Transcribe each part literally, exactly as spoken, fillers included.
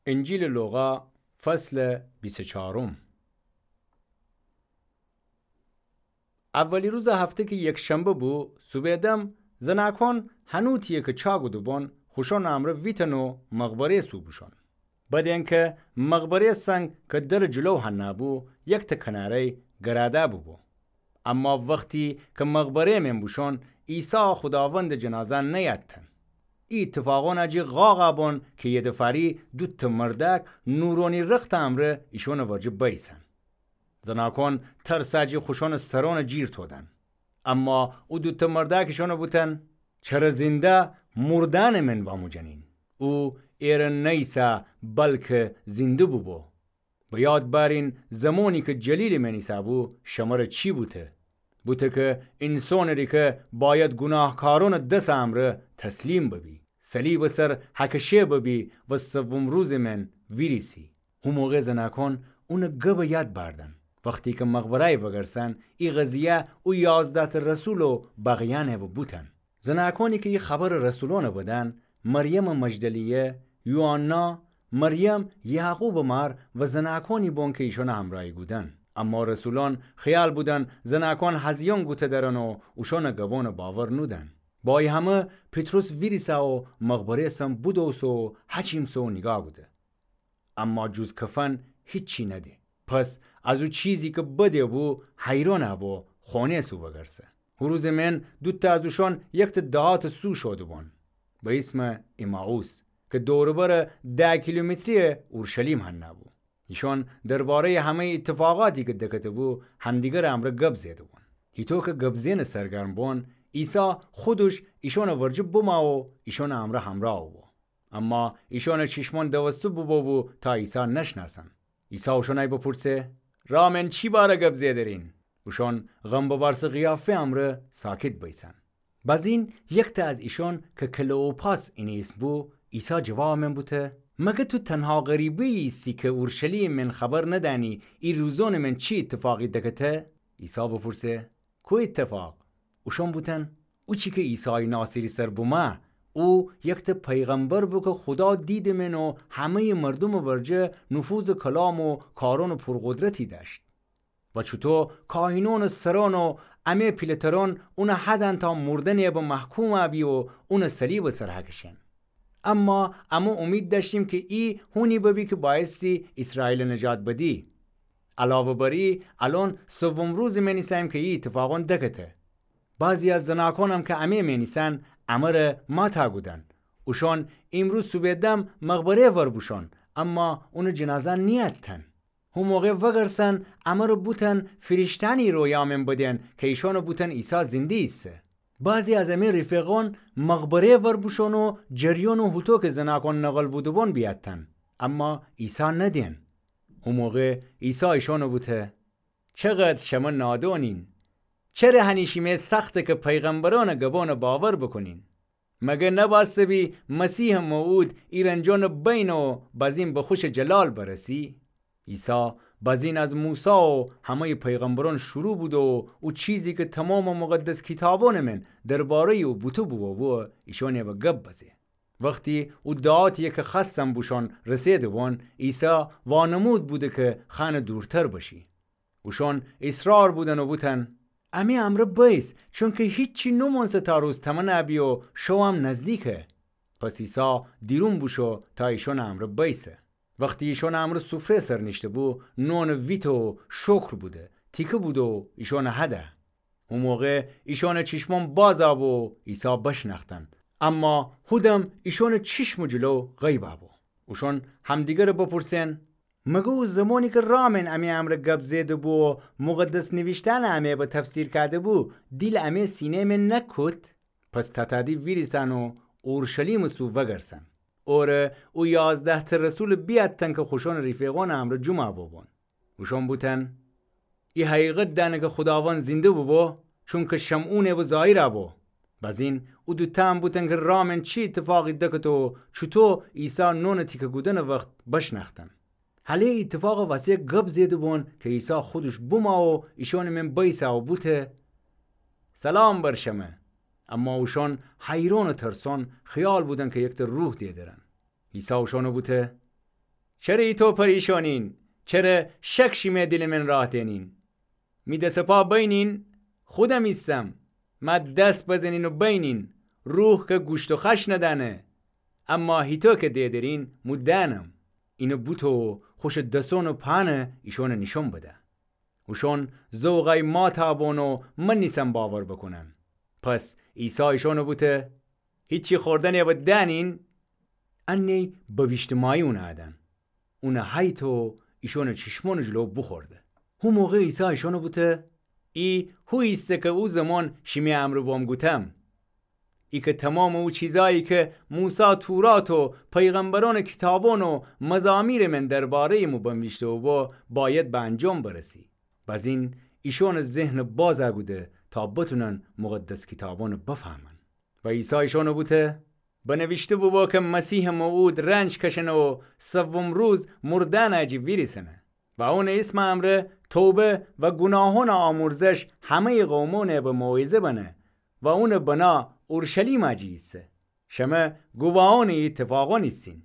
انجیلٚ لوقا، فصلٚ بیست و چارم. اولی روزٚ هفته کی یکشنبه بو، صوبٚ دم زناکون هنوتیی کی چا گوده‌بون، خوشونٚ امرأ ویتن و مقبره‌یٚ سو بوشون. بدین کی مقبره‌یٚ سنگ کی درٚ جلو هنأ بو، یکتأ کناره‌یی گرادأ بوبو. اما وختی کی مقبره‌یٚ مین بوشون، عیسی خوداوندٚ جنازه نیأدتن. ای ایتفاقون جی قاقأ بون کی یه دفاری دوتأ مردأک نورونی رختٚ امرأ ایشونٚ ورجه بیسن. زناکون ترسٚ جی خوشونٚ سرونٚ جیر تودن. اما او دوتأ مردأک ایشون بوتن: چره زنده مردأنٚ مین واموجنین؟ او ایرأ نیسأ، بلکی زنده بوبو. به یاد بأرین زمانی کی جلیلٚ مین ایسه‌بو، شمره چی بوته؟ بوته کی اینسونٚ ریکه بأید گوناهکارونٚ دسٚ امرأ تسلیم ببی، صلیبٚ سر هکشه ببی و سوم روزٚ مین ویریسی. هو موقع زناکون اونٚ گبٚ یاد بأردن. وختی کی مقبره‌یی وأگرسن، ای قضیه او یازده‌تأ رسول و بقیأنٚ و بوتن. زناکونی کی ای خبرٚ رسولونٚ بدن، مریمٚ مجدلیه، یوحنا، مریم یعقوبٚ مار و زناکونی بون کی ایشونٚ همرأیی کودن. اما رسولون خیال بودن زناکون هزیون گوته درن و اوشونٚ گبونٚ باور نودن. با ای همه پطرس ویریسه و مقبره‌یٚ سم بودوسه و هچیمسه و نیگاه کوده. اما جز کفن هیچی نده. پس از او چیزی کی بده‌بو حیران بو، خونه‌یٚ سو وأگرسه. هو روزٚ مین دوتأ از اوشون یکتأ دهاتٚ سو شوده‌بون، به ایسمٚ امائوس، کی دور و برٚ ده کیلومتری اورشلیم هنأ بو. ایشون درباره‌یٚ همه‌یٚ ایتفاقاتی کی دکته‌بو همدیگرٚ امرأ گب زئیده‌بون. هیطو کی گب زئنٚ سرگرم بون، عیسی خودش ایشونٚ ورجه بمأ و ایشونٚ امرأ همرأ بو. اما ایشونٚ چیشمون دوسته بوبو تا عیسی نشنأسن. عیسی اوشون بپرسه: رأ مین چی باره گب زئیدرین؟ اوشون غم ببأرسٚ قیافه امرأ ساکت بیسن. بزین یکتأ از ایشون کی کلئوپاس اینی ایسم بو، عیسی جوابٚ مین بوته: مگر تو تنها غریبه ایسی کی اورشلیم مین خبر ندأنی ای روزونٚ مین چی ایتفاقی دکته؟ عیسی بپرسه: کو ایتفاق؟ اوشون بوتن: اوچی کی عیسایٚ ناصری سر بمأ. او یکتأ پیغمبر بو کی خودا دیدٚ مین و همه‌یٚ مردومٚ ورجه نفوذٚ کلام و کارونٚ پرقدرتی دأشت. و چوطو کاهینونٚ سرون و امه پیله‌ترون اونٚ هدأن تا مردنٚ به محکوم بی و اونٚ صلیبٚ سر هکشین. اما امه اومید دأشتیم کی ای هونی ببی کی بأیستی ایسرائیلٚ نجات بدی. علاوه بر ای، الأن سوم روزٚ مین ایسأییم کی ای ایتفاقون دکته. بعضی از زناکونم کی امه مین ایسن، امره ماتا کودن. اوشون ایمروز صوبٚ دم مقبره‌یٚ ور بوشون، اما اونٚ جنازه نیأدتن. هو موقع وأگرسن، امره بوتن فیریشته‌یأنی رویا مین بدین کی ایشون بوتن عیسی زنده ایسه. بعضی از امه رفیقون مقبره‌یٚ ور بوشون و جریون و هوطو کی زناکون نقل بوده‌بون بیأدتن، اما عیسی ندین. هو موقع عیسی ایشون بوته: چقدر شمه نادونین! چره هنی شیمه سخته کی پیغمبرونٚ گبونٚ باور بوکونین؟ مگر نبأسته بی مسیحٚ موعود ای رنجونٚ بینه و بزین به خوشٚ جلال برسی؟ عیسی بزین از موسی و همه‌یٚ پیغمبرون شروع بوده و او چیزی کی تومامٚ مقدس کیتابونٚ مین درباره‌یٚ او بوته بوبو، ایشون به گب بزه. وختی او دهاتیی کی خوأستن بوشون رسیده‌بون، عیسی وانمود بوده کی خأنه دورتر بشی. اوشون ایصرار بودن و بوتن: امه امرأ بیس، چونکی هیچی نومونسه تا روز تمنا بی و شویم نزدیکه. پس عیسی دیرون بوشو تا ایشونٚ امرأ بیسه. وختی ایشونٚ امرأ سفره‌یٚ سر نیشته‌بو، نونٚ ویته و شکر بوده، تیکه بوده و ایشونٚ هده. او موقع ایشونٚ چیشمون بازا بو و عیسی بشنأختن. اما هودم ایشونٚ چیشمٚ جلو غیبا بو. اوشون همدیگره بپرسئن: مگر او زمانی کی رامئن امی امرأ گب زئیده‌بو و مقدس نویشته‌یأنٚ امی به تفسیر کرده‌بو، دیلٚ امی سینه‌یٚ مئن نکود؟ پس تتأدی ویریسن و اورشلیمٚ سو وگرسن. اوره او یازده‌تأ رسول بیأتتن کی خوشونٚ ریفیقونٚ امرأ جمعه بوبون. اوشون بوتن: ای حقیقت دأنه کی خوداوند زنده بوبو، چونکی شمعونٚ به ظاهرا بو. بزین او دوتأ هم بوتن کی رامئن چی ایتفاقی دکته و چوطو عیسی نونٚ تیکه کودنٚ وخت بشنأختن. هله ای ایتفاقٚ وسه گب زئیده‌بون کی عیسی خودش بومه و ایشونٚ مئن بیسه و بوته: سلام بر شمه. اما اوشون حیرون و ترسون خیال بودن کی یکتأ روح دئدرن. عیسی اوشون بوته: چره ایتو پریشانین؟ چره شک شیمه دیلٚ من راه دینین؟ می دس پا بینین، خودم ایسم. مه دس بزنین و بینین، روح که گوشت و خش ندأنه، اما هیتو که دئدرین مو دأنم. اینو بوته و خوشٚ دسون و پانه ایشونه نیشون بده. اوشون زوغای ماتَ بون و من نیسن باور بوکونن. پس عیسی ایشونه بوته، هیچی خوردنی به دأنین؟ انیی بویشتمایی اونه ادن. اونه هیته و ایشونٚ چیشمونٚ جلو بوخورده. هو موقع عیسی ایشونه بوته، ای هو ایسه که او زمان شیمی امرأ بوم گوتم. ای که تومامٚ او چیزایی که موسی تورات و پیغمبرونٚ کیتابون و مزامیرٚ من درباره‌یٚ مو بنویشته بوبو، بأید به انجام برسی. بزین ایشونٚ ذهنَ باز کوده تا بتونن مقدس کیتابونَ بفهمن. و عیسی ایشونَ بوته، بنویشته بوبو که مسیحٚ موعود رنج کشأنه و سوم روز مردأنٚ جی ویریسأنه. و اونٚ ایسمٚ امرأ توبه و گوناهونٚ آمرزش همه‌یٚ قومأنَ به موعظه بنه و اونٚ بنا اورشلیمٚ جی ایسه. شمه گواهأنٚ ای ایتفاقأن ایسین.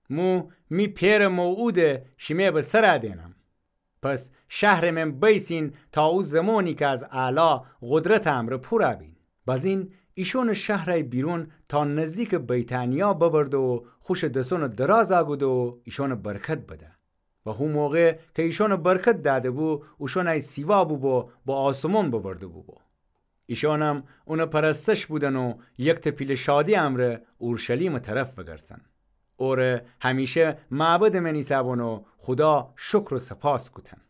مو می پئرٚ موعودَ شیمه به سرَ دئنم. پس شهرٚ من بیسین تا او زمانی که از اعلا قدرتٚ امرأ پورَ بین. بزین ایشونَ شهرَ بیرون تا نزدیکٚ بیتانیا ببرده و خوشٚ دسونَ دراز کوده و ایشونَ برکت بده. و هو موقع که ایشونَ برکت دأده بو، اوشونَ سیوا بوبو به آسمون ببرده بوبو. ایشانم اونٚ پرستش بودن و یک تپیلٚ شادی امرأ اورشلیمٚ طرف بگردسن. اوره همیشه معبدٚ من ایسأبون و خودا شکر و سپاس کوتن.